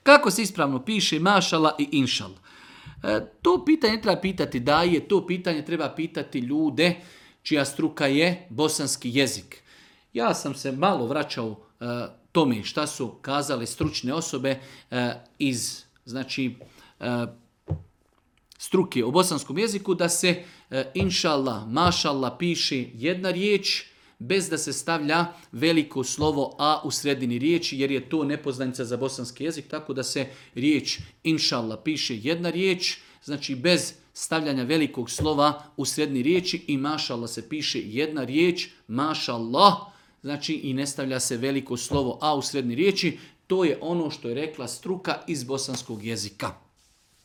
Kako se ispravno piše mašala i inšal? To pitanje treba pitati daje, to pitanje treba pitati ljude čija struka je bosanski jezik. Ja sam se malo vraćao tome šta su kazali stručne osobe iz struke u bosanskom jeziku, da se inšallah, mašallah piše jedna riječ bez da se stavlja veliko slovo a u sredini riječi, jer je to nepoznanica za bosanski jezik, tako da se riječ inšallah piše jedna riječ, znači bez stavljanja velikog slova u sredini riječi, i mašallah se piše jedna riječ, mašallah, znači i ne stavlja se veliko slovo a u sredini riječi. To je ono što je rekla struka iz bosanskog jezika.